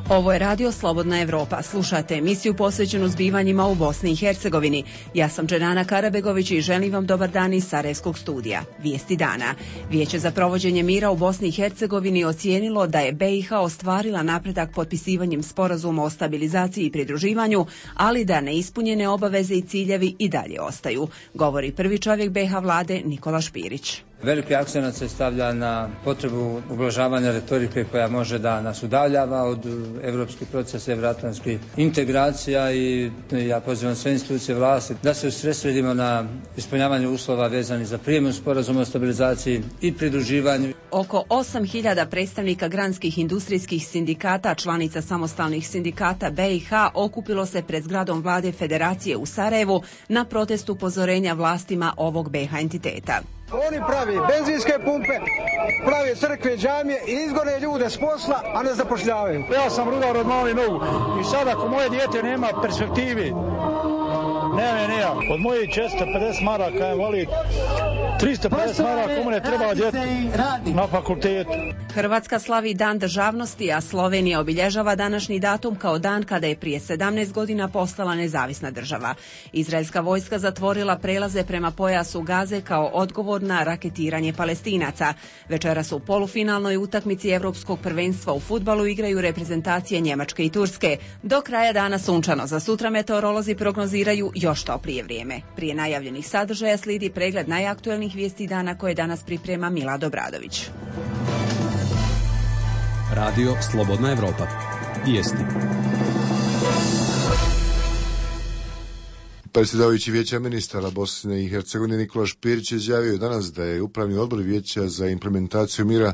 Ovo je Radio Slobodna Evropa. Slušate emisiju posvećenu zbivanjima u Bosni i Hercegovini. Ja sam Dženana Karabegović i želim vam dobar dan iz Sarajevskog studija. Vijesti dana. Vijeće za provođenje mira u Bosni i Hercegovini ocijenilo da je BiH ostvarila napredak potpisivanjem sporazuma o stabilizaciji i pridruživanju, ali da neispunjene obaveze i ciljevi i dalje ostaju, govori prvi čovjek BiH vlade Nikola Špirić. Veliki akcenat se stavlja na potrebu ublažavanja retorike koja može da nas udaljava od evropskih procesa, evroatlantskih integracija i ja pozivam sve institucije vlasti da se usredsredimo na ispunjavanje uslova vezanih za prijem sporazuma o stabilizaciji i pridruživanju. Oko 8.000 predstavnika granskih industrijskih sindikata, članica samostalnih sindikata BiH, okupilo se pred zgradom vlade Federacije u Sarajevu na protest upozorenja vlastima ovog BiH entiteta. Oni pravi benzinske pumpe, pravi crkve, džamije i izgone ljude s posla, a ne zapošljavaju. Ja sam rudar od malih nogu i sad ako moje dijete nema perspektivi, nema. Od mojih 450 maraka je voli 350 maraka mu ne treba djeti na fakultetu. Hrvatska slavi Dan državnosti, a Slovenija obilježava današnji datum kao dan kada je prije 17 godina postala nezavisna država. Izraelska vojska zatvorila prelaze prema pojasu Gaze kao odgovor na raketiranje Palestinaca. Večeras u polufinalnoj utakmici Evropskog prvenstva u fudbalu igraju reprezentacije Njemačke i Turske. Do kraja dana sunčano, za sutra meteorolozi prognoziraju još toplije vrijeme. Prije najavljenih sadržaja slijedi pregled najaktuelnijih vijesti dana koje danas priprema Milad Obradović. Radio Slobodna Evropa. Vijesti. Predsjedavajući Vijeća ministara Bosne i Hercegovine Nikola Špirić izjavio danas da je Upravni odbor Vijeća za implementaciju mira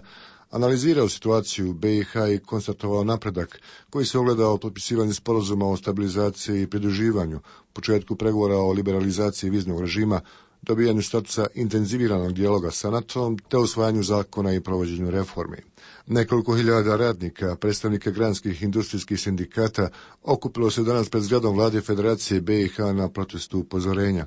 analizirao situaciju u BiH i konstatovao napredak koji se ogledao u potpisivanju sporazuma o stabilizaciji i pridruživanju, početku pregovora o liberalizaciji viznog režima, dobijanju statusa intenziviranog dijaloga sa NATO-om te usvajanju zakona i provođenju reformi. Nekoliko hiljada radnika, predstavnika granskih industrijskih sindikata, okupilo se danas pred zgradom vlade Federacije BiH na protestu upozorenja.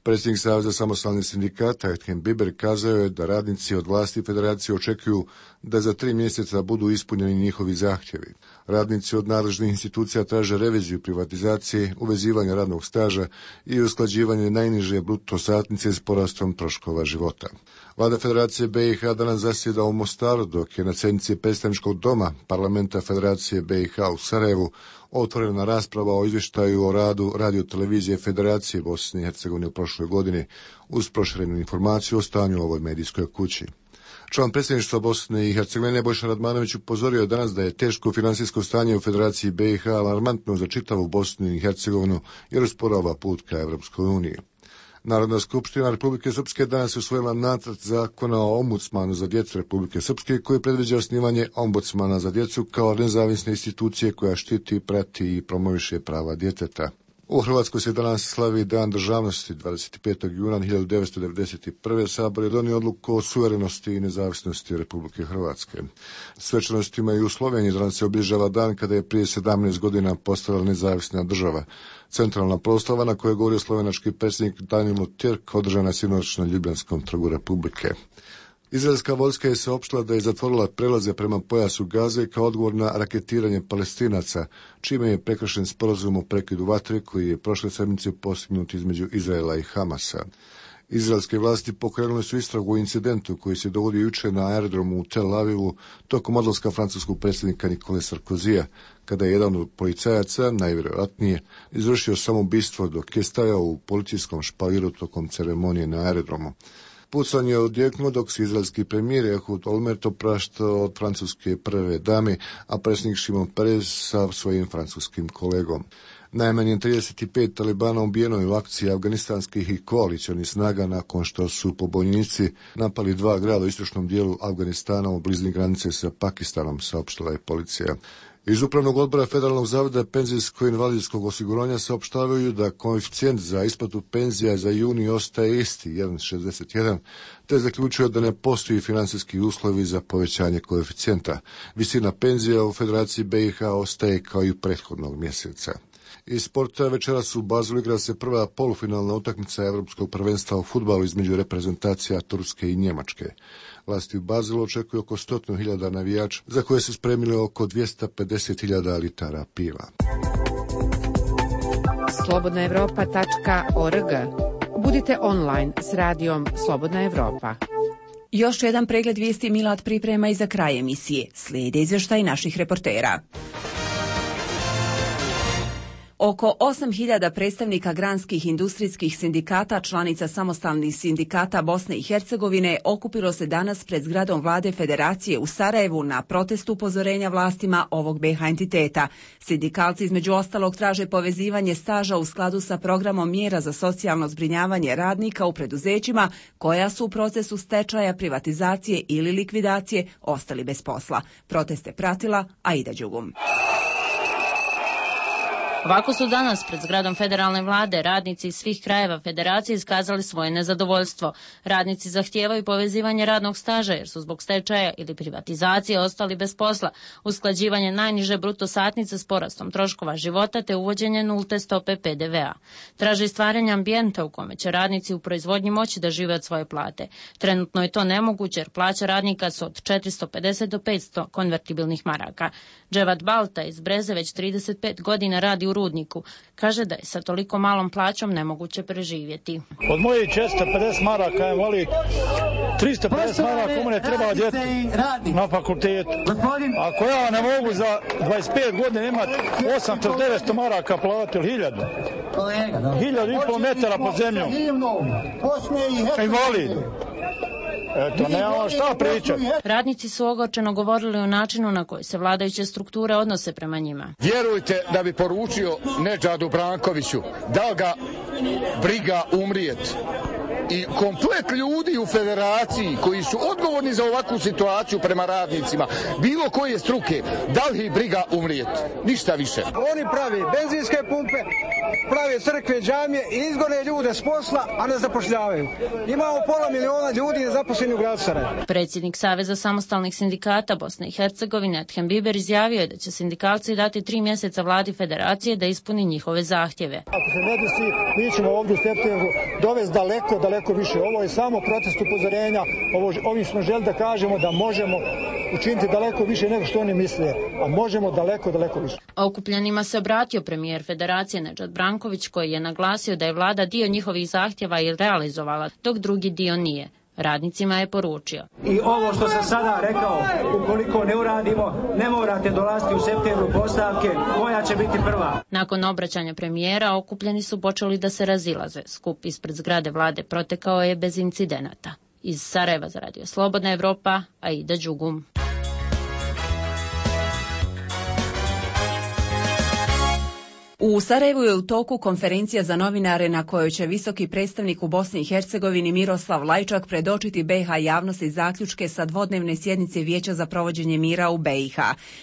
Predsjednik Saveza samostalnih sindikata Ethem Biber kazao je da radnici od vlasti Federacije očekuju da za 3 mjeseca budu ispunjeni njihovi zahtjevi. Radnici od nadležnih institucija traže reviziju privatizacije, uvezivanje radnog staža i usklađivanje najniže bruto satnice s porastom troškova života. Vlada Federacije BiH danas zasjeda u Mostaru, dok je na sjednici predstavničkog doma Parlamenta Federacije BiH u Sarajevu otvorena rasprava o izvještaju o radu radiotelevizije Federacije Bosne i Hercegovine u prošloj godini uz proširenu informaciju o stanju u ovoj medijskoj kući. Član predsjedništva Bosne i Hercegovine Nebojša Radmanović upozorio danas da je teško financijsko stanje u Federaciji BiH alarmantno za čitavu Bosnu i Hercegovinu jer usporava put ka Evropskoj uniji. Narodna skupština Republike Srpske danas je usvojila nacrt zakona o ombudsmanu za djecu Republike Srpske koji predviđa osnivanje ombudsmana za djecu kao nezavisne institucije koja štiti, prati i promoviše prava djeteta. U Hrvatskoj se danas slavi Dan državnosti. 25. juna 1991. Sabor je donio odluku o suverenosti i nezavisnosti Republike Hrvatske. Svečanostima i u Sloveniji danas se obilježava dan kada je prije 17 godina postala nezavisna država. Centralna proslava na kojoj je govorio slovenački predsjednik Danilo Tjerk održana sinoć na Ljubljanskom trgu Republike. Izraelska vojska je saopštila da je zatvorila prelaze prema pojasu Gaze kao odgovor na raketiranje Palestinaca, čime je prekršen sporazum o prekidu vatre koji je prošle sedmice postignut između Izraela i Hamasa. Izraelske vlasti pokrenule su istragu o incidentu koji se dogodio jučer na aerodromu u Tel Avivu tokom odlaska francuskog predsjednika Nikole Sarkozija, kada je jedan od policajaca, najvjerojatnije, izvršio samoubistvo dok je stajao u policijskom špaliru tokom ceremonije na aerodromu. Pucanje je odjeknuo dok se izraelski premijer Ehud Olmert opraštao od francuske prve dame, a predsjednik Šimon Peres sa svojim francuskim kolegom. Najmanje 35 talibana ubijeno je u akciji afganistanskih i koalicionih snaga nakon što su pobunjenici napali 2 grada u istočnom dijelu Afganistana u blizini granice sa Pakistanom, saopštila je policija. Iz Upravnog odbora Federalnog zavoda penzijsko-invalidskog osiguranja saopštavaju da koeficijent za isplatu penzija za juni ostaje isti, 1,61, te zaključuje da ne postoji financijski uslovi za povećanje koeficijenta. Visina penzija u Federaciji BiH ostaje kao i prethodnog mjeseca. Iz sporta večeras u Bazelu igra se prva polufinalna utakmica Evropskog prvenstva u fudbalu između reprezentacija Turske i Njemačke. Vlasti u Bazelu očekuju oko 100.000 navijača, za koje su spremili oko 250.000 litara piva. slobodnaevropa.org. Budite online s radijom Slobodna Evropa. Još jedan pregled vijesti Milad priprema i za kraj emisije. Slijede izvještaj naših reportera. Oko 8.000 predstavnika granskih industrijskih sindikata, članica samostalnih sindikata Bosne i Hercegovine, okupilo se danas pred zgradom vlade Federacije u Sarajevu na protest upozorenja vlastima ovog BiH entiteta. Sindikalci između ostalog traže povezivanje staža u skladu sa programom mjera za socijalno zbrinjavanje radnika u preduzećima koja su u procesu stečaja, privatizacije ili likvidacije ostali bez posla. Proteste pratila Aida Đugum. Ovako su danas pred zgradom federalne vlade radnici iz svih krajeva federacije iskazali svoje nezadovoljstvo. Radnici zahtijevaju povezivanje radnog staža jer su zbog stečaja ili privatizacije ostali bez posla, usklađivanje najniže bruto satnice s porastom troškova života te uvođenje nulte stope PDV-a. Traže stvaranje ambijenta u kome će radnici u proizvodnji moći da žive od svoje plate. Trenutno je to nemoguće jer plaća radnika su od 450 do 500 konvertibilnih maraka. Dževat Balta iz Breze već 35 godina radi u rudniku. Kaže da je sa toliko malom plaćom nemoguće preživjeti. Od moje 450 maraka je voli 350 maraka mene treba djeti na fakultetu. Ako ja ne mogu za 25 godina imati 800-900 maraka platiti ili 1000. 1000,5 metara pod zemljom. Invalid. Eto, nemamo šta pričati. Radnici su ogorčeno govorili o načinu na koji se vladajuće strukture odnose prema njima. Vjerujte da bi poručio Nedžadu Brankoviću da ga briga umrijet. I komplet ljudi u federaciji koji su odgovorni za ovakvu situaciju prema radnicima, bilo koje struke, da li ih briga umrijeti? Ništa više. Oni pravi benzinske pumpe, prave crkve, džamije i izgone ljude s posla, a ne zapošljavaju. Imamo 500.000 ljudi nezaposlenih u gradu Sarajevu. Predsjednik Saveza samostalnih sindikata Bosne i Hercegovine Adhem Biber izjavio je da će sindikalci dati 3 mjeseca vladi federacije da ispuni njihove zahtjeve. Ako se ne desi, mi ćemo ovdje u septembru dovesti daleko više. Ovo je samo protest upozorenja. Ovim smo želi da kažemo da možemo učiniti daleko više nego što oni misle, a možemo daleko više. Okupljenima se obratio premijer federacije Nedžad Branković koji je naglasio da je vlada dio njihovih zahtjeva i realizovala, dok drugi dio nije. Radnicima je poručio. I ovo što sam sada rekao, ukoliko ne uradimo, ne morate dolaziti u septembru postavke, koja će biti prva. Nakon obraćanja premijera, okupljeni su počeli da se razilaze. Skup ispred zgrade vlade protekao je bez incidenata. Iz Sarajeva za radio Slobodna Evropa, Aida Đugum. U Sarajevu je u toku konferencija za novinare na kojoj će visoki predstavnik u Bosni i Hercegovini Miroslav Lajčak predočiti BiH javnosti zaključke sa dvodnevne sjednice Vijeća za provođenje mira u BiH.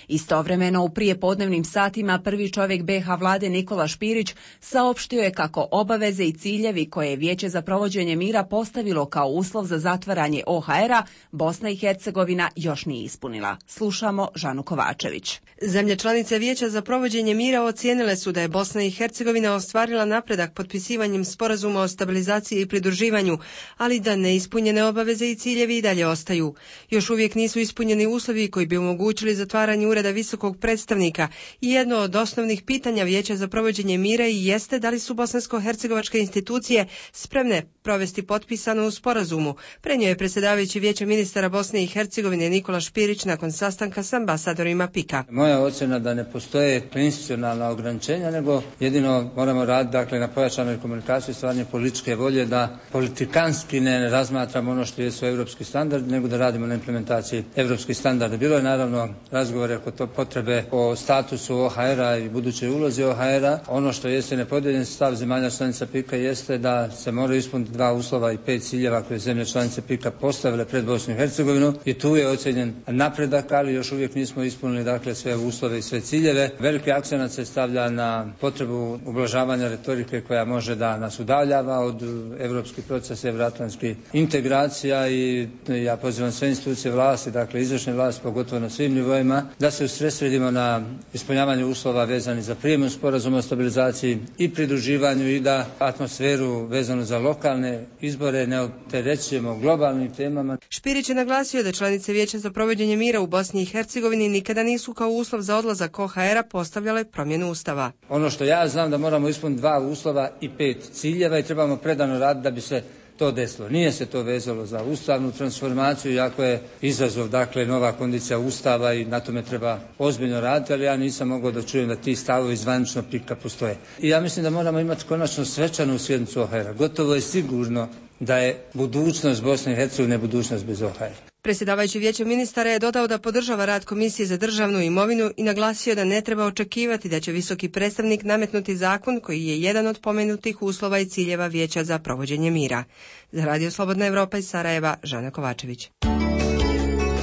Istovremeno u prijepodnevnim satima prvi čovjek BiH vlade Nikola Špirić saopštio je kako obaveze i ciljevi koje je Vijeće za provođenje mira postavilo kao uslov za zatvaranje OHR-a Bosna i Hercegovina još nije ispunila. Slušamo Žanu Kovačević. Zemlje članice Vijeća za provođenje mira ocijenile su da je Bosna i Hercegovina ostvarila napredak potpisivanjem sporazuma o stabilizaciji i pridruživanju, ali da neispunjene obaveze i ciljevi i dalje ostaju. Još uvijek nisu ispunjeni uslovi koji bi omogućili zatvaranje ureda visokog predstavnika i jedno od osnovnih pitanja Vijeća za provođenje mira i jeste da li su bosansko-hercegovačke institucije spremne provesti potpisano u sporazumu, prenio je predsjedavajući Vijeća ministara Bosne i Hercegovine Nikola Špirić nakon sastanka s ambasadorima PIK-a. Moja ocjena da ne postoje institucionalna ograničenja, nego jedino moramo raditi na pojačanoj komunikaciji, stvaranje političke volje da politikanski ne razmatramo ono što jesu europski standardi, nego da radimo na implementaciji europskih standarda. Bilo je naravno razgovore oko potrebe o statusu OHR-a i budućoj ulozi OHR-a. Ono što jeste nepodijeljen stav zemalja članica PIK-a jeste da se moraju ispuniti 2 uslova i 5 ciljeva koje zemlje članice PIK-a postavile pred Bosnu i Hercegovinu i tu je ocjenjen napredak, ali još uvijek nismo ispunili sve uslove i sve ciljeve. Veliki akcenat se stavlja na na potrebu ublažavanja retorike koja može da nas udaljava od evropskih procesa, evroatlantskih integracija i ja pozivam sve institucije vlasti, dakle izvršne vlasti, pogotovo na svim nivoima, da se usredsredimo na ispunjavanje uslova vezani za prijem sporazuma o stabilizaciji i pridruživanju i da atmosferu vezanu za lokalne izbore ne opterećujemo globalnim temama. Špirić je naglasio da članice Vijeća za provođenje mira u Bosni i Hercegovini nikada nisu kao uslov za odlazak OHR-a postavljale promjenu Ustava. Ono što ja znam da moramo ispuniti 2 uslova i 5 ciljeva i trebamo predano raditi da bi se to desilo. Nije se to vezalo za ustavnu transformaciju, iako je izazov, dakle, nova kondicija Ustava i na tome treba ozbiljno raditi, ali ja nisam mogao da čujem da ti stavovi zvanično PIK-a postoje. I ja mislim da moramo imati konačno svečanu sjednicu OHR-a. Gotovo je sigurno da je budućnost Bosne i Hercegovine budućnost bez OHR-a. Predsjedavajući Vijećem ministara je dodao da podržava rad Komisije za državnu imovinu i naglasio da ne treba očekivati da će visoki predstavnik nametnuti zakon koji je jedan od pomenutih uslova i ciljeva Vijeća za provođenje mira. Za Radio Slobodna Evropa iz Sarajeva, Žana Kovačević.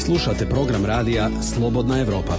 Slušate program radija Slobodna Evropa.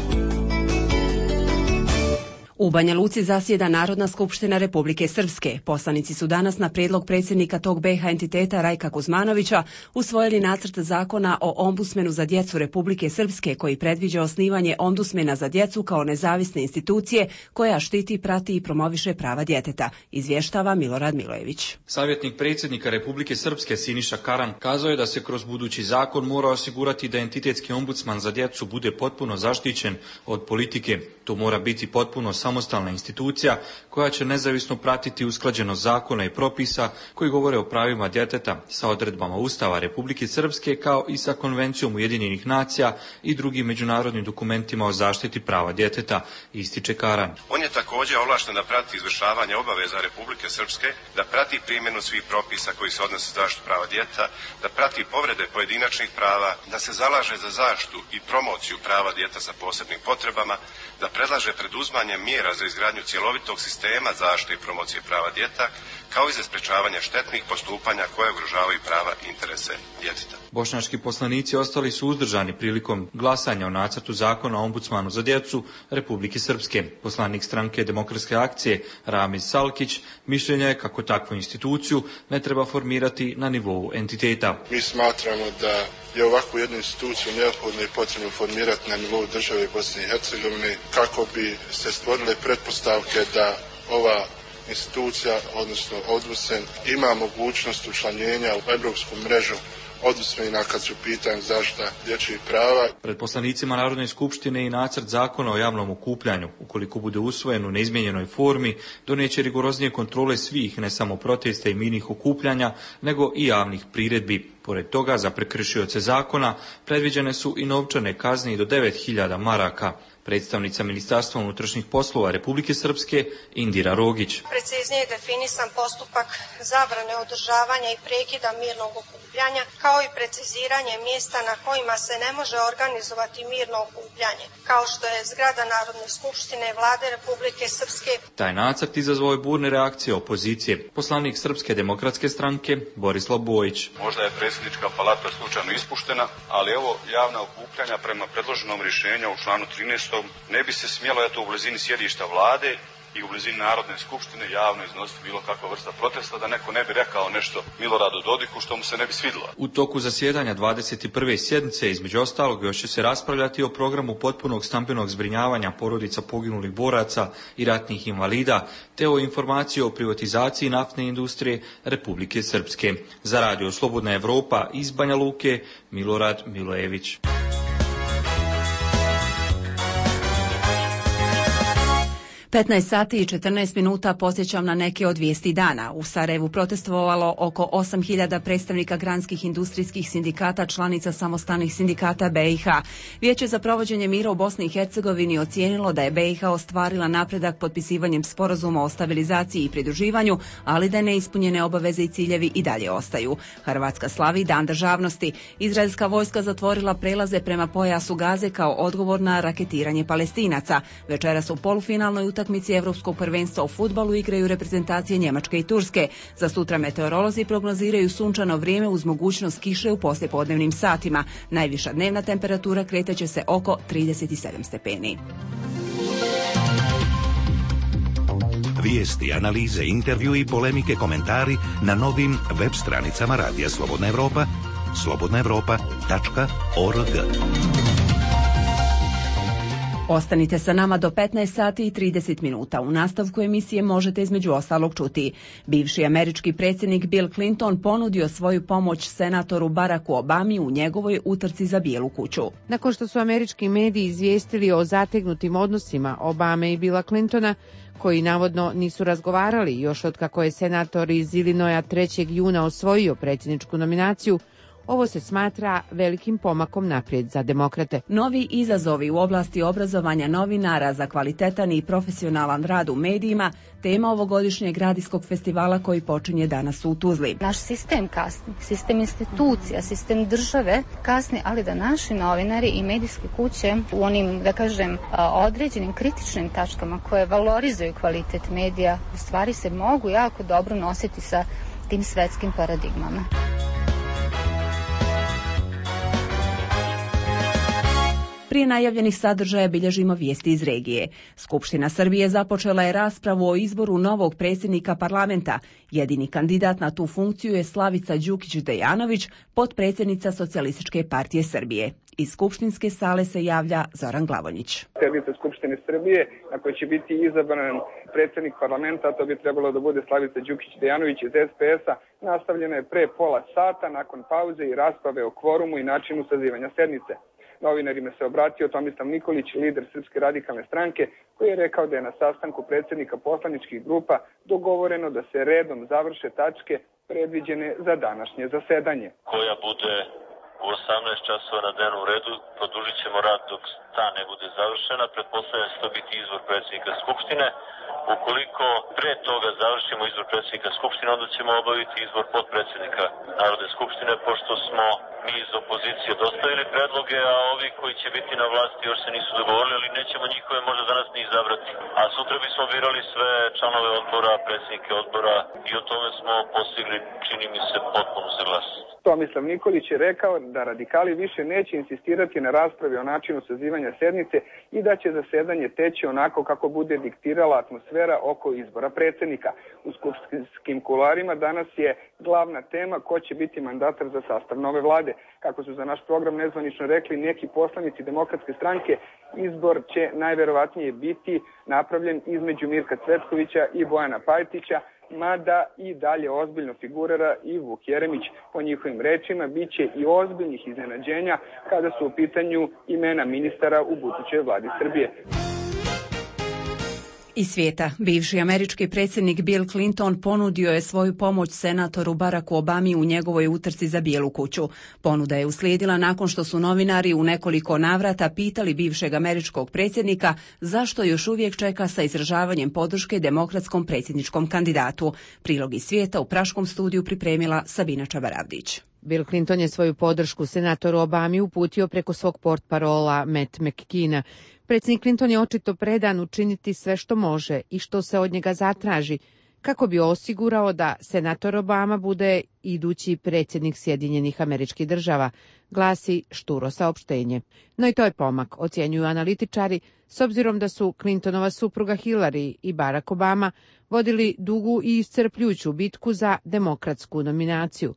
U Banja Luci zasjeda Narodna skupština Republike Srpske. Poslanici su danas na prijedlog predsjednika tog BiH entiteta Rajka Kuzmanovića usvojili nacrt zakona o ombudsmenu za djecu Republike Srpske koji predviđa osnivanje ombudsmena za djecu kao nezavisne institucije koja štiti, prati i promoviše prava djeteta, izvještava Milorad Milojević. Savjetnik predsjednika Republike Srpske Siniša Karan kazao je da se kroz budući zakon mora osigurati da entitetski ombudsman za djecu bude potpuno zaštićen od politike. To mora biti potpuno samostalna institucija koja će nezavisno pratiti usklađenost zakona i propisa koji govore o pravima djeteta sa odredbama Ustava Republike Srpske kao i sa Konvencijom Ujedinjenih nacija i drugim međunarodnim dokumentima o zaštiti prava djeteta, ističe Karan. On je također ovlašten da prati izvršavanje obaveza Republike Srpske, da prati primjenu svih propisa koji se odnose na zaštitu prava djeteta, da prati povrede pojedinačnih prava, da se zalaže za zaštitu i promociju prava djeteta sa posebnim potrebama, da predlaže preduzimanje mjera za izgradnju cjelovitog sistema zaštite i promocije prava djeteta, kao i za sprečavanje štetnih postupanja koje ugrožavaju prava i interese djeteta. Bošnjački poslanici ostali su uzdržani prilikom glasanja o nacrtu zakona o ombudsmanu za djecu Republike Srpske. Poslanik stranke Demokratske akcije Ramiz Salkić mišljenja je kako takvu instituciju ne treba formirati na nivou entiteta. Mi smatramo da je ovakvu jednu instituciju neophodno i potrebno formirati na nivou države Bosne i Hercegovine kako bi se stvorile pretpostavke da ova institucija, odnosno ombudsman, ima mogućnost učlanjenja u europsku mrežu ombudsmena kad su u pitanju zaštita dječjih prava. Pred poslanicima Narodne skupštine i nacrt zakona o javnom okupljanju, ukoliko bude usvojen u neizmijenjenoj formi, donijeće rigoroznije kontrole svih, ne samo protesta i mirnih okupljanja, nego i javnih priredbi. Pored toga, za prekršioce zakona predviđene su i novčane kazne i do 9.000 maraka. Predstavnica Ministarstva unutrašnjih poslova Republike Srpske Indira Rogić. Preciznije je definisan postupak zabrane održavanja i prekida mirnog okupljanja, kao i preciziranje mjesta na kojima se ne može organizovati mirno okupljanje, kao što je zgrada Narodne skupštine Vlade Republike Srpske. Taj nacrt izazvao je burne reakcije opozicije. Poslanik Srpske demokratske stranke Borislav Bojić. Možda je predsjednička palata slučajno ispuštena, ali evo javna okupljanja prema predloženom rješenju u članu 13. ne bi se smjelo u blizini sjedišta vlade i u blizini Narodne skupštine javno iznositi bilo kakva vrsta protesta, da neko ne bi rekao nešto Miloradu Dodiku što mu se ne bi svidjelo. U toku zasjedanja 21. sjednice između ostalog još će se raspravljati o programu potpunog stambenog zbrinjavanja porodica poginulih boraca i ratnih invalida, te o informaciji o privatizaciji naftne industrije Republike Srpske. Za Radio Slobodna Evropa iz Banja Luke, Milorad Milojević. 15 sati i 14 minuta podsjećam na neke od vijesti dana. U Sarajevu protestovalo oko 8.000 predstavnika granskih industrijskih sindikata, članica samostalnih sindikata BiH. Vijeće za provođenje mira u Bosni i Hercegovini ocijenilo da je BiH ostvarila napredak potpisivanjem sporazuma o stabilizaciji i pridruživanju, ali da neispunjene obaveze i ciljevi i dalje ostaju. Hrvatska slavi Dan državnosti. Izraelska vojska zatvorila prelaze prema pojasu Gaze kao odgovor na raketiranje Palestinaca. Večeras u polufinalnoj utakmici Evropskog prvenstva u fudbalu igraju reprezentacije Njemačke i Turske. Za sutra meteorolozi prognoziraju sunčano vrijeme uz mogućnost kiše u poslijepodnevnim satima. Najviša dnevna temperatura kretaće se oko 37 stepeni. Vijesti, analize, intervju i polemike, komentari na novim web stranicama Radija Slobodna Evropa, slobodnaevropa.org. Ostanite sa nama do 15 sati i 30 minuta. U nastavku emisije možete između ostalog čuti. Bivši američki predsjednik Bill Clinton ponudio svoju pomoć senatoru Baracku Obami u njegovoj utrci za Bijelu kuću. Nakon što su američki mediji izvijestili o zategnutim odnosima Obame i Billa Clintona, koji navodno nisu razgovarali još od kako je senator iz Illinoisa 3. juna osvojio predsjedničku nominaciju, ovo se smatra velikim pomakom naprijed za demokrate. Novi izazovi u oblasti obrazovanja novinara za kvalitetan i profesionalan rad u medijima, tema ovogodišnjeg radijskog festivala koji počinje danas u Tuzli. Naš sistem kasni, sistem institucija, sistem države kasni, ali da naši novinari i medijske kuće u onim, da kažem, određenim kritičnim tačkama koje valorizuju kvalitet medija, u stvari se mogu jako dobro nositi sa tim svetskim paradigmama. Prije najavljenih sadržaja bilježimo vijesti iz regije. Skupština Srbije započela je raspravu o izboru novog predsjednika parlamenta. Jedini kandidat na tu funkciju je Slavica Đukić-Dejanović, potpredsjednica Socijalističke partije Srbije. Iz skupštinske sale se javlja Zoran Glavonjić. Sjednica Skupštine Srbije na kojoj će biti izabran predsjednik parlamenta, to bi trebalo da bude Slavica Đukić-Dejanović iz SPS-a, nastavljena je pre pola sata nakon pauze i rasprave o kvorumu i načinu sazivanja sednice. Novinarima se obratio Tomislav Nikolić, lider Srpske radikalne stranke, koji je rekao da je na sastanku predsjednika poslaničkih grupa dogovoreno da se redom završe tačke predviđene za današnje zasedanje. Koja bude u 18 časova na dnevnom redu, produžit ćemo rad dok ta ne bude završena. Pretpostavljam da će to biti izbor predsjednika Skupštine. Ukoliko pre toga završimo izbor predsjednika Skupštine, onda ćemo obaviti izbor potpredsjednika Narodne skupštine, pošto smo mi iz opozicije dostavili predloge, a ovi koji će biti na vlasti još se nisu dogovorili, ali nećemo njihove možda danas ni izabrati. A sutra bismo birali sve članove odbora, predsjednike odbora i o tome smo postigli, čini mi se, potpunu saglasnost. Tomislav Nikolić je rekao da radikali više neće insistirati na raspravi o načinu sazivanja sednice i da će zasedanje teći onako kako bude diktirala atmosfera oko izbora predsjednika. U skupštinskim kuloarima danas je glavna tema ko će biti mandatar za sastav nove vlade. Kako su za naš program nezvanično rekli neki poslanici Demokratske stranke, izbor će najverovatnije biti napravljen između Mirka Cvetkovića i Bojana Pajtića, mada i dalje ozbiljno figurira i Vuk Jeremić. Po njihovim rečima biće i ozbiljnih iznenađenja kada su u pitanju imena ministara u budućoj vladi Srbije. Iz svijeta, bivši američki predsjednik Bill Clinton ponudio je svoju pomoć senatoru Baracku Obami u njegovoj utrci za Bijelu kuću. Ponuda je uslijedila nakon što su novinari u nekoliko navrata pitali bivšeg američkog predsjednika zašto još uvijek čeka sa izražavanjem podrške demokratskom predsjedničkom kandidatu. Prilog iz svijeta u praškom studiju pripremila Sabina Čabaravdić. Bill Clinton je svoju podršku senatoru Obami uputio preko svog portparola Matt McKeena. Predsjednik Clinton je očito predan učiniti sve što može i što se od njega zatraži, kako bi osigurao da senator Obama bude idući predsjednik Sjedinjenih Američkih Država, glasi šturo saopštenje. No i to je pomak, ocjenjuju analitičari, s obzirom da su Clintonova supruga Hillary i Barack Obama vodili dugu i iscrpljujuću bitku za demokratsku nominaciju.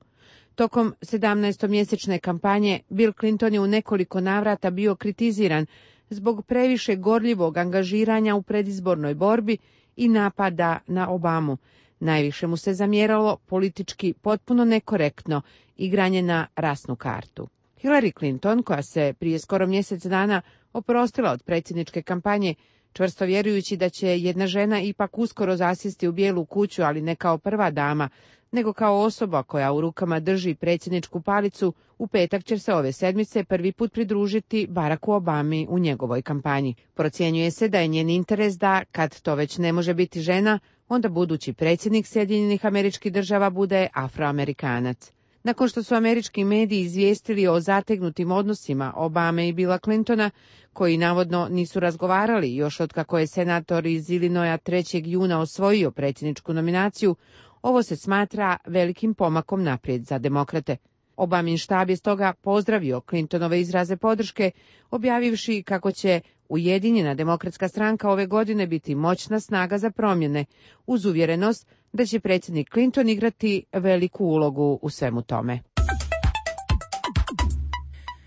Tokom 17-mjesečne kampanje Bill Clinton je u nekoliko navrata bio kritiziran zbog previše gorljivog angažiranja u predizbornoj borbi i napada na Obamu. Najviše mu se zamjeralo politički potpuno nekorektno igranje na rasnu kartu. Hillary Clinton, koja se prije skoro mjesec dana oprostila od predsjedničke kampanje, čvrsto vjerujući da će jedna žena ipak uskoro zasjesti u Bijelu kuću, ali ne kao prva dama, nego kao osoba koja u rukama drži predsjedničku palicu, u petak će se ove sedmice prvi put pridružiti Baracku Obami u njegovoj kampanji. Procjenjuje se da je njen interes da, kad to već ne može biti žena, onda budući predsjednik Sjedinjenih Američkih Država bude Afroamerikanac. Nakon što su američki mediji izvijestili o zategnutim odnosima Obame i Billa Clintona, koji navodno nisu razgovarali još od kako je senator iz Illinoisa 3. juna osvojio predsjedničku nominaciju, ovo se smatra velikim pomakom naprijed za demokrate. Obamin štab je stoga pozdravio Clintonove izraze podrške, objavivši kako će Ujedinjena demokratska stranka ove godine biti moćna snaga za promjene, uz uvjerenost da će predsjednik Clinton igrati veliku ulogu u svemu tome.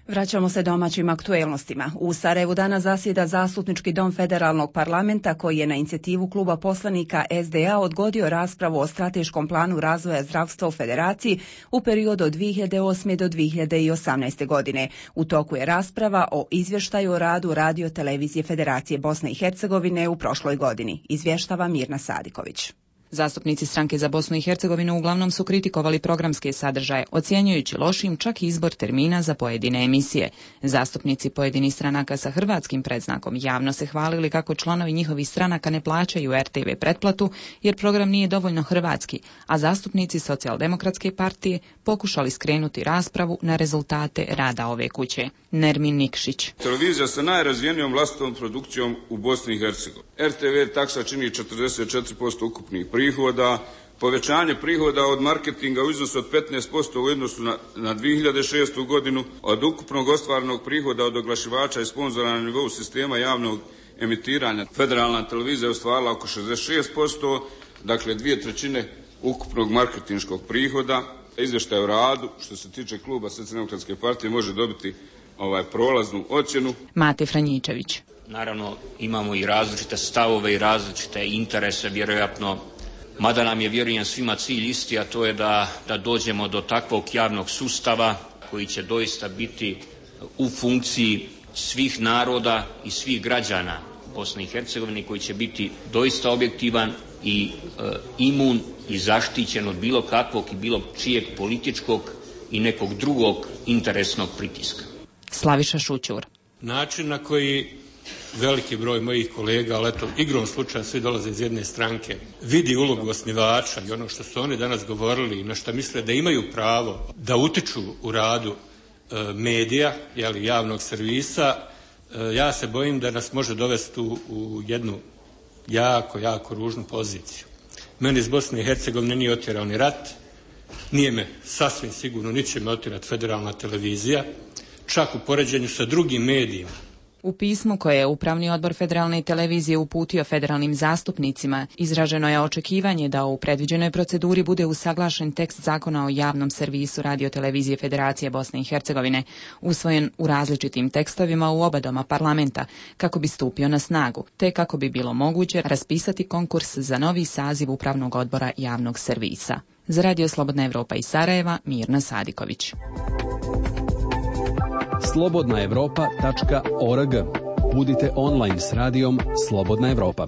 Vraćamo se domaćim aktuelnostima. U Sarajevu danas zasjeda Zastupnički dom Federalnog parlamenta koji je na inicijativu kluba poslanika SDA odgodio raspravu o strateškom planu razvoja zdravstva u Federaciji u periodu od 2008. do 2018. godine. U toku je rasprava o izvještaju o radu Radio-televizije Federacije Bosne i Hercegovine u prošloj godini. Izvještava Mirna Sadiković. Zastupnici Stranke za Bosnu i Hercegovinu uglavnom su kritikovali programske sadržaje, ocjenjujući lošim čak izbor termina za pojedine emisije. Zastupnici pojedinih stranaka sa hrvatskim predznakom javno se hvalili kako članovi njihovih stranaka ne plaćaju RTV pretplatu jer program nije dovoljno hrvatski, a zastupnici Socijaldemokratske partije pokušali skrenuti raspravu na rezultate rada ove kuće. Nermin Nikšić. Televizija sa najrazvijenijom vlastitom produkcijom u Bosni i Hercegovini. RTV taksa čini 44% ukupnih prihoda, povećanje prihoda od marketinga u iznosu od 15% u odnosu na 2006. godinu, od ukupnog ostvarenog prihoda od oglašivača i sponzora na nivou sistema javnog emitiranja. Federalna televizija je ostvarila oko 66%, dakle 2/3 ukupnog marketinškog prihoda. Izvještaj o radu, što se tiče kluba Socijaldemokratske partije, može dobiti prolaznu ocjenu. Mate Franjičević. Naravno, imamo i različite stavove i različite interese, vjerojatno, mada nam je, vjerujem, svima cilj isti, a to je da dođemo do takvog javnog sustava koji će doista biti u funkciji svih naroda i svih građana Bosne i Hercegovine, koji će biti doista objektivan i imun i zaštićen od bilo kakvog i bilo čijeg političkog i nekog drugog interesnog pritiska. Slaviša Šućur. Način na koji veliki broj mojih kolega, ali eto, igrom slučaja svi dolaze iz jedne stranke, vidi ulogu osnivača i ono što su oni danas govorili i na što misle da imaju pravo da utiču u radu medija, javnog servisa, ja se bojim da nas može dovesti u jednu jako ružnu poziciju. Meni iz Bosne i Hercegovine nije otjerao ni rat, nije me sasvim sigurno, niti će me otjerati Federalna televizija, čak u poređenju sa drugim medijima. U pismu koje je Upravni odbor Federalne televizije uputio federalnim zastupnicima, izraženo je očekivanje da u predviđenoj proceduri bude usaglašen tekst zakona o javnom servisu Radio-televizije Federacije Bosne i Hercegovine, usvojen u različitim tekstovima u oba doma parlamenta, kako bi stupio na snagu, te kako bi bilo moguće raspisati konkurs za novi saziv Upravnog odbora javnog servisa. Za Radio Slobodna Evropa iz Sarajeva, Mirna Sadiković. slobodnaevropa.org. Budite online s radijom Slobodna Evropa.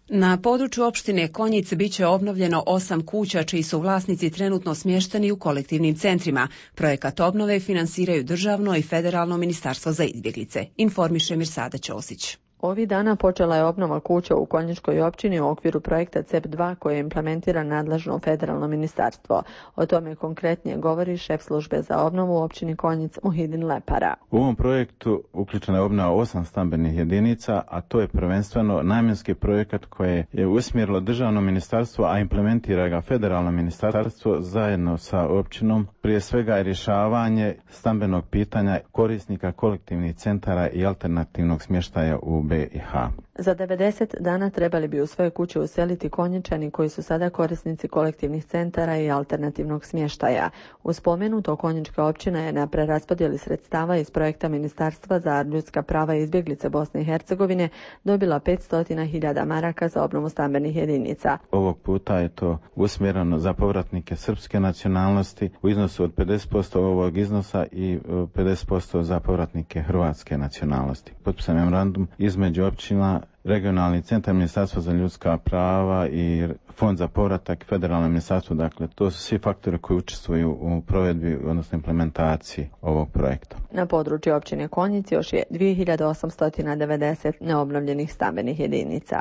Na području opštine Konjic biće obnovljeno 8 kuća čiji su vlasnici trenutno smješteni u kolektivnim centrima. Projekat obnove finansiraju državno i federalno ministarstvo za izbjeglice, informiše Mirsada Ćosić. Ovih dana počela je obnova kuća u Konjičkoj općini u okviru projekta CEP2 koji implementira nadležno federalno ministarstvo. O tome konkretnije govori šef službe za obnovu u općini Konjic Muhidin Lepara. U ovom projektu uključena je obnova 8 stambenih jedinica, a to je prvenstveno namjenski projekat koje je usmjerilo državno ministarstvo, a implementira ga federalno ministarstvo zajedno sa općinom. Prije svega je rješavanje stambenog pitanja korisnika kolektivnih centara i alternativnog smještaja u BiH. Za 90 dana trebali bi u svoje kuće useliti Konjičani koji su sada korisnici kolektivnih centara i alternativnog smještaja. U spomenuto Konjička općina je na preraspodjeli sredstava iz projekta Ministarstva za ljudska prava i izbjeglice Bosne i Hercegovine dobila 500.000 maraka za obnovu stambenih jedinica. Ovog puta je to usmjereno za povratnike srpske nacionalnosti u iznosu od 50% ovog iznosa i 50% za povratnike hrvatske nacionalnosti. Potpisan memorandum između općina, regionalni centar, ministarstvo za ljudska prava i fond za povratak, federalno ministarstvo. Dakle, to su svi faktori koji učestvuju u provedbi, odnosno implementaciji ovog projekta. Na području općine Konjic još je 2890 neobnovljenih stambenih jedinica.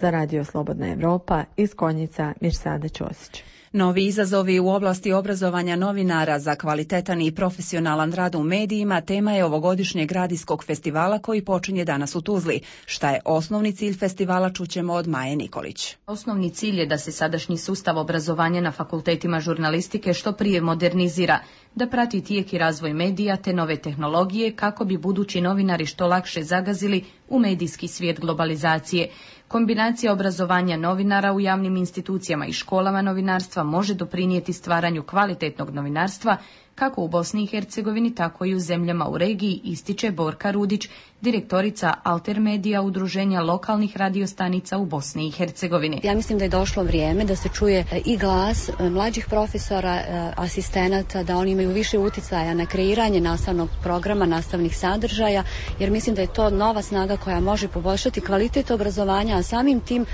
Za Radio Slobodna Evropa iz Konjica Mirsada Ćosić. Novi izazovi u oblasti obrazovanja novinara za kvalitetan i profesionalan rad u medijima tema je ovogodišnjeg radijskog festivala koji počinje danas u Tuzli. Šta je osnovni cilj festivala čućemo od Maje Nikolić. Osnovni cilj je da se sadašnji sustav obrazovanja na fakultetima žurnalistike što prije modernizira. da prati tijek i razvoj medija te nove tehnologije kako bi budući novinari što lakše zagazili u medijski svijet globalizacije. Kombinacija obrazovanja novinara u javnim institucijama i školama novinarstva može doprinijeti stvaranju kvalitetnog novinarstva kako u Bosni i Hercegovini, tako i u zemljama u regiji, ističe Borka Rudić, direktorica Alter Medija, udruženja lokalnih radiostanica u Bosni i Hercegovini. Ja mislim da je došlo vrijeme da se čuje i glas mlađih profesora, asistenata, da oni imaju više uticaja na kreiranje nastavnog programa, nastavnih sadržaja, jer mislim da je to nova snaga koja može poboljšati kvalitet obrazovanja, a samim tim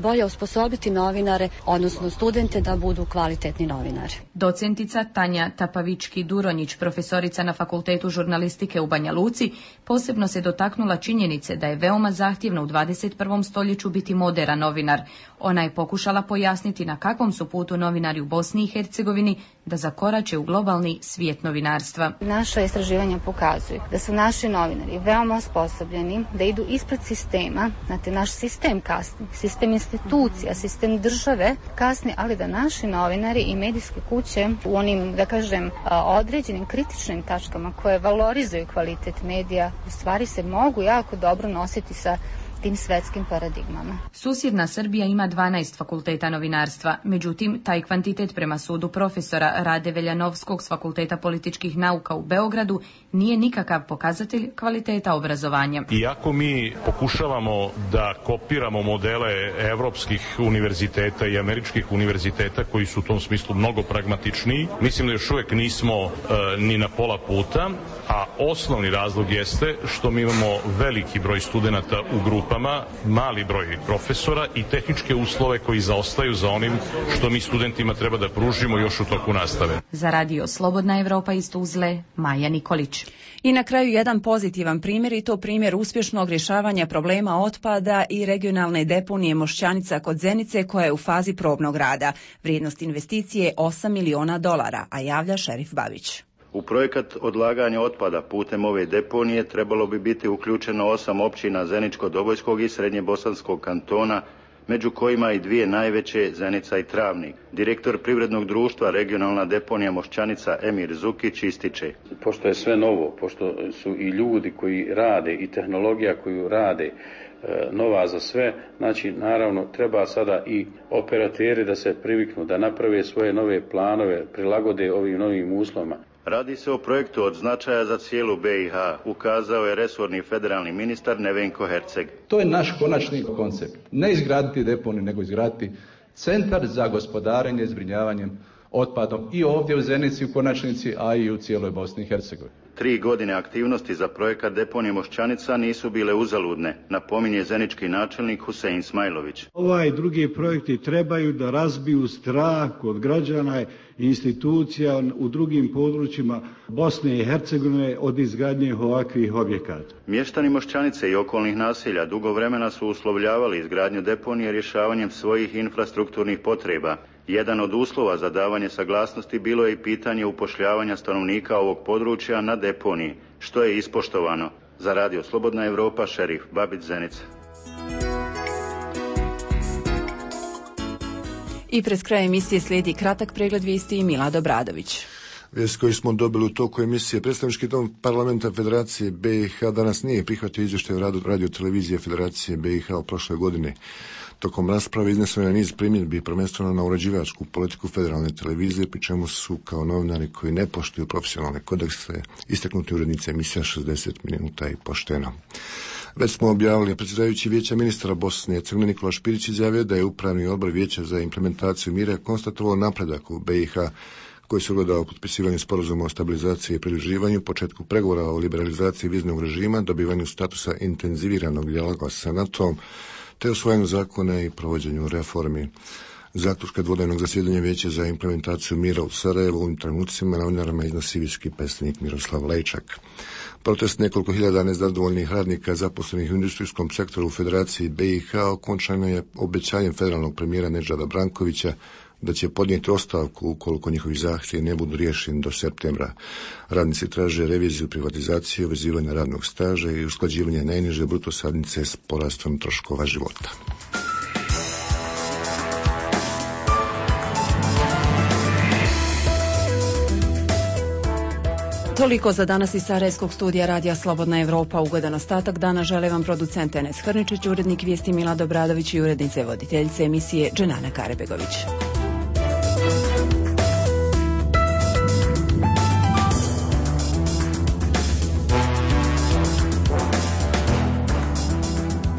bolje osposobiti novinare, odnosno studente da budu kvalitetni novinari. Docentica Tanja Tapavički-Duronjić, profesorica na Fakultetu žurnalistike u Banja Luci, posebno se dotaknula činjenice da je veoma zahtjevno u 21. stoljeću biti moderan novinar. Ona je pokušala pojasniti na kakvom su putu novinari u Bosni i Hercegovini da zakorače u globalni svijet novinarstva. Naša istraživanja pokazuju da su naši novinari veoma osposobljeni, da idu ispred sistema, znate, naš sistem kasni, sistem institucija, sistem države kasni, ali da naši novinari i medijske kuće u onim, da kažem, određenim kritičnim tačkama koje valorizuju kvalitet medija, u stvari se mogu jako dobro nositi sa tim svetskim paradigmama. Susjedna Srbija ima 12 fakulteta novinarstva, međutim, taj kvantitet prema sudu profesora Rade Veljanovskog s Fakulteta političkih nauka u Beogradu nije nikakav pokazatelj kvaliteta obrazovanja. Iako mi pokušavamo da kopiramo modele evropskih univerziteta i američkih univerziteta koji su u tom smislu mnogo pragmatičniji, mislim da još uvijek nismo ni na pola puta, a osnovni razlog jeste što mi imamo veliki broj studenata u grupama, mali broj profesora i tehničke uslove koji zaostaju za onim što mi studentima treba da pružimo još u toku nastave. Za radio Slobodna Evropa iz Tuzle, Maja Nikolić. I na kraju jedan pozitivan primjer, i to primjer uspješnog rješavanja problema otpada i regionalne deponije Mošćanica kod Zenice koja je u fazi probnog rada. Vrijednost investicije je $8 miliona, a javlja Šerif Babić. U projekat odlaganja otpada putem ove deponije trebalo bi biti uključeno 8 općina Zeničko-Dobojskog i Srednjebosanskog kantona, među kojima i dvije najveće, Zenica i Travnik. Direktor privrednog društva Regionalna deponija Mošćanica Emir Zukić ističe. Pošto je sve novo, pošto su i ljudi koji rade i tehnologija koju rade nova za sve, znači naravno treba sada i operateri da se priviknu, da naprave svoje nove planove, prilagode ovim novim uslovima. Radi se o projektu od značaja za cijelu BiH, ukazao je resorni federalni ministar Nevenko Herceg. To je naš konačni koncept. Ne izgraditi deponiju, nego izgraditi centar za gospodarenje i zbrinjavanjem otpadom i ovdje u Zenici u konačnici, a i u cijeloj Bosni i Hercegovini. 3 godine aktivnosti za projekat deponije Mošćanica nisu bile uzaludne, napominje zenički načelnik Husein Smajlović. Ovaj drugi projekti trebaju da razbiju strah kod građana i institucija u drugim područjima Bosne i Hercegovine od izgradnje ovakvih objekata. Mještani Mošćanice i okolnih naselja dugo vremena su uslovljavali izgradnju deponije rješavanjem svojih infrastrukturnih potreba. Jedan od uslova za davanje saglasnosti bilo je i pitanje upošljavanja stanovnika ovog područja na deponiji, što je ispoštovano. Za radio Slobodna Evropa, Šerif Babić, Zenica. I pred kraj emisije slijedi kratak pregled vijesti i Milad Obradović. Vijest koju smo dobili u toku emisije. Predstavnički dom parlamenta Federacije BiH danas nije prihvatio izvještaj o radu radio televizije Federacije BiH o prošle godine. Tokom rasprave izneseno je niz primjedbi, prvenstveno na uređivačku politiku federalne televizije, pri čemu su kao novinari koji ne poštuju profesionalne kodekse istaknuti urednice emisija 60 minuta i pošteno. Već smo objavili, predsjedajući Vijeća ministara Bosne i Hercegovine Nikola Špirić izjavio da je Upravni odbor Vijeća za implementaciju mira konstatovao napredak u BiH koji se ogledao u potpisivanju sporazuma o stabilizaciji i pridruživanju, početku pregovora o liberalizaciji viznog režima, dobivanju statusa intenziviranog dijaloga sa NATO-om, te usvajanju zakona i provođenju reformi. Zaključka dvodnevnog zasjedanja Vijeća za implementaciju mira u Sarajevu u ovim trenucima novinarima iznosi visoki predstavnik Miroslav Lejčak. Protest nekoliko hiljada nezadovoljnih radnika zaposlenih u industrijskom sektoru u Federaciji BiH okončano je obećanjem federalnog premijera Nedžada Brankovića da će podnijeti ostavku ukoliko njihovi zahtjevi ne budu riješeni do septembra. Radnici traže reviziju privatizacije, vezivanja radnog staža i usklađivanje najniže bruto satnice s porastom troškova života. Toliko za danas iz Sarajevskog studija Radija Slobodna Evropa. Ugodan ostatak dana žele vam producent Enes Hrničić, urednik vijesti Milad Obradović i urednice voditeljice emisije Dženana Karebegović.